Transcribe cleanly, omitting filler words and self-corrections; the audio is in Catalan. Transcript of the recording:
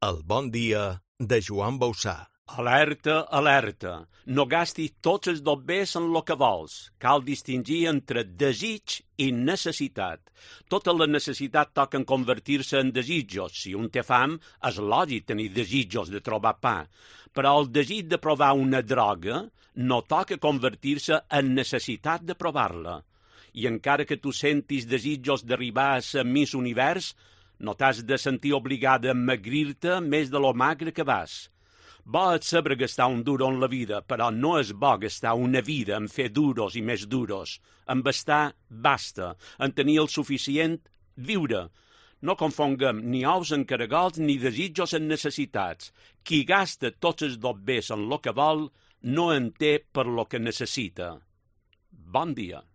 El bon dia de Joan Bausà. Alerta, alerta. No gastis tots els dobbers en lo que vols. Cal distingir entre desig i necessitat. Totes les necessitats toquen convertir-se en desitjos. Si un té fam, és lògic tenir desitjos de trobar pa. Però el desig de provar una droga no toca convertir-se en necessitat de provar-la. I encara que tu sentis desitjos d'arribar a ser Miss Univers, no t'has de sentir obligada a emagrir-te més de lo magre que vas. Bo és saber gastar un duro en la vida, però no és bo gastar una vida en fer duros i més duros. En bastar, basta. En tenir el suficient, viure. No confonguem ni ous en caragols ni desitjos en necessitats. Qui gasta tots els dobbers en lo que vol, no en té per lo que necessita. Bon dia.